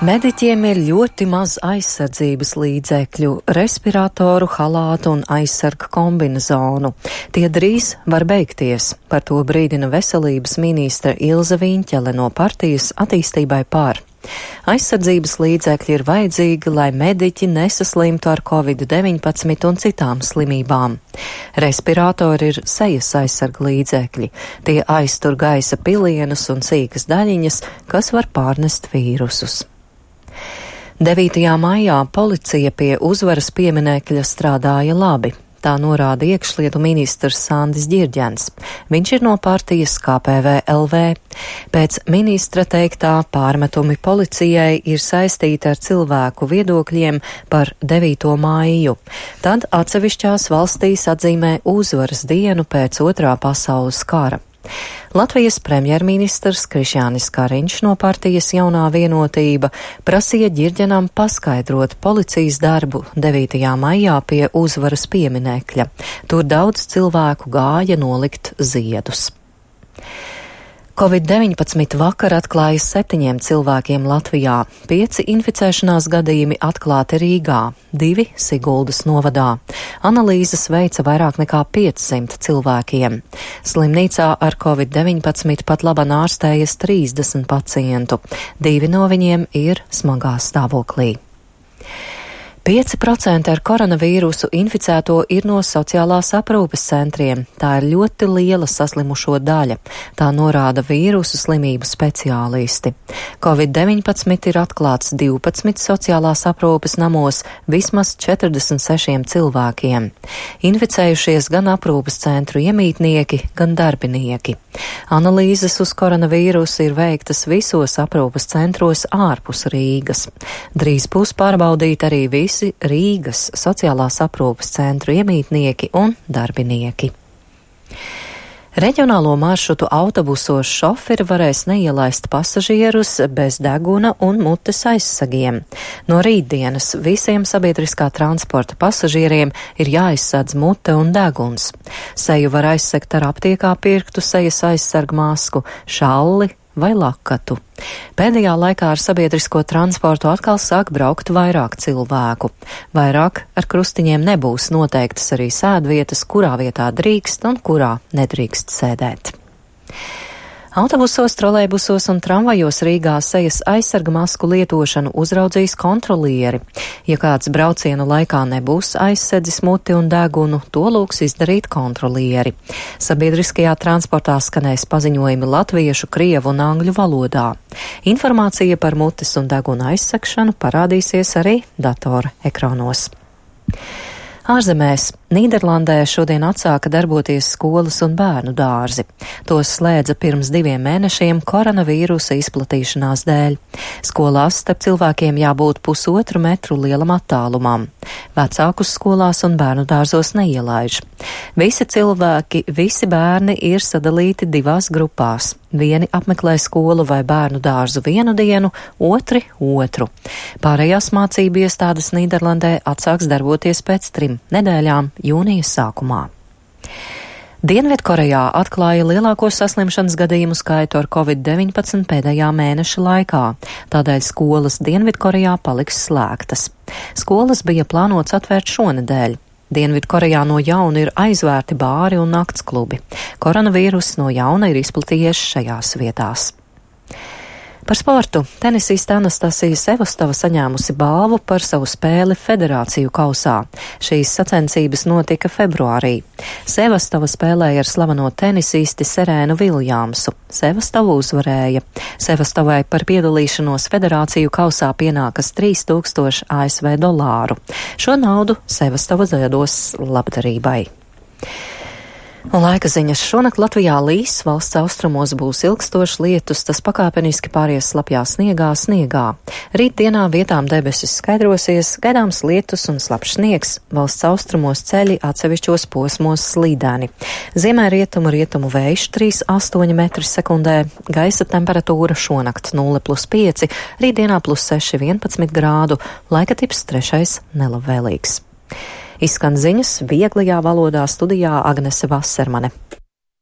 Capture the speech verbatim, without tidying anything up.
Mediķiem ir ļoti maz aizsardzības līdzekļu, respiratoru, halātu un aizsarga kombinezonu. Tie drīz var beigties, par to brīdina veselības ministre Ilze Viņķele no partijas Attīstībai par. Aizsardzības līdzekļi ir vajadzīgi, lai mediķi nesaslimtu ar covid deviņpadsmit un citām slimībām. Respiratori ir sejas aizsarga līdzekļi. Tie aiztur gaisa pilienus un sīkas daļiņas, kas var pārnest vīrusus. devītajā maijā policija pie uzvaras pieminekļa strādāja labi. Tā norāda iekšlietu ministrs Sandis Ģirģens. Viņš ir no partijas K P V L V. Pēc ministra teiktā pārmetumi policijai ir saistīti ar cilvēku viedokļiem par devīto maiju. Tad atsevišķās valstīs atzīmē uzvaras dienu pēc otrā pasaules kara. Latvijas premjerministrs Krišjānis Kariņš no partijas Jaunā vienotība prasīja Ģirģenam paskaidrot policijas darbu devītajā maijā pie uzvaras pieminekļa. Tur daudz cilvēku gāja nolikt ziedus. covid deviņpadsmit vakar atklāja septiņiem cilvēkiem Latvijā. Pieci inficēšanās gadījumi atklāti Rīgā, divi Siguldas novadā. Analīzes veica vairāk nekā piecsimt cilvēkiem. Slimnīcā ar covid deviņpadsmit pat laban ārstējas trīsdesmit pacientu. Divi no viņiem ir smagā stāvoklī. pieci procenti ar koronavīrusu inficēto ir no sociālās aprūpes centriem. Tā ir ļoti liela saslimušo daļa. Tā norāda vīrusu slimību speciālisti. covid deviņpadsmit ir atklāts divpadsmit sociālās aprūpes namos vismaz četrdesmit sešiem cilvēkiem. Inficējušies gan aprūpes centru iemītnieki, gan darbinieki. Analīzes uz koronavīrusu ir veiktas visos aprūpes centros ārpus Rīgas. Drīz būs pārbaudīti arī visi Rīgas sociālās aprūpes centru iemītnieki un darbinieki. Reģionālo maršrutu autobusos šoferi varēs neielaist pasažierus bez deguna un mutes aizsegiem. No rītdienas visiem sabiedriskā transporta pasažieriem ir jāizsadz mute un deguns. Seju var aizsegt ar aptiekā pirktu sejas aizsargu masku, šalli vai lakatu. Pēdējā laikā ar sabiedrisko transportu atkal sāk braukt vairāk cilvēku. Vairāk ar krustiņiem nebūs noteiktas arī sēdvietas, kurā vietā drīkst un kurā nedrīkst sēdēt. Autobusos, trolejbusos un tramvajos Rīgā sejas aizsarga masku lietošanu uzraudzīs kontrolieri. Ja kāds braucienu laikā nebūs aizsedzis muti un degunu, to lūgs izdarīt kontrolieri. Sabiedriskajā transportā skanēs paziņojumi latviešu, krievu un angļu valodā. Informācija par mutes un deguna aizsegšanu parādīsies arī datora ekrānos. Ārzemēs Nīderlandē šodien atsāka darboties skolas un bērnu dārzi. Tos slēdza pirms diviem mēnešiem koronavīrusa izplatīšanās dēļ. Skolās starp cilvēkiem jābūt pusotru metru lielam attālumam. Vecākus skolās un bērnu dārzos neielaiž. Visi cilvēki, visi bērni ir sadalīti divās grupās. Vieni apmeklē skolu vai bērnu dārzu vienu dienu, otri otru. Pārējās mācību iestādes Nīderlandē atsāks darboties pēc trim nedēļām jūnija sākumā. Dienvidkorejā atklāja lielāko saslimšanas gadījumu skaitu ar covid deviņpadsmit pēdējā mēneša laikā, tādēļ skolas Dienvidkorejā paliks slēgtas. Skolas bija plānots atvērt šonedēļ. Dienvidkorejā no jauna ir aizvērti bāri un naktsklubi. Koronavīruss no jauna ir izplatījies šajās vietās. Par sportu. Tenisiste Anastasija Sevastova saņēmusi balvu par savu spēli federāciju kausā. Šīs sacensības notika februārī. Sevastova spēlēja ar slaveno tenisisti Serēnu Viljamsu. Sevastova uzvarēja. Sevastovai par piedalīšanos federāciju kausā pienākas trīs tūkstoši A S V dolāru. Šo naudu Sevastova ziedos labdarībai. Un laika ziņas. Šonakt Latvijā līs, valsts austrumos būs ilgstošs lietus, tas pakāpeniski pāries slapjā sniegā, sniegā. Rītdienā vietām debesis skaidrosies, gaidāms lietus un slapjš sniegs, valsts austrumos ceļi atsevišķos posmos slīdēni. Ziemē rietumu rietumu vējš trīs astoņi metri sekundē, gaisa temperatūra šonakt nulle plus pieci, rītdienā plus seši vienpadsmit grādu, laika tips trešais nelabvēlīgs. Izskan ziņas vieglajā valodā studijā Agnese Vasermane.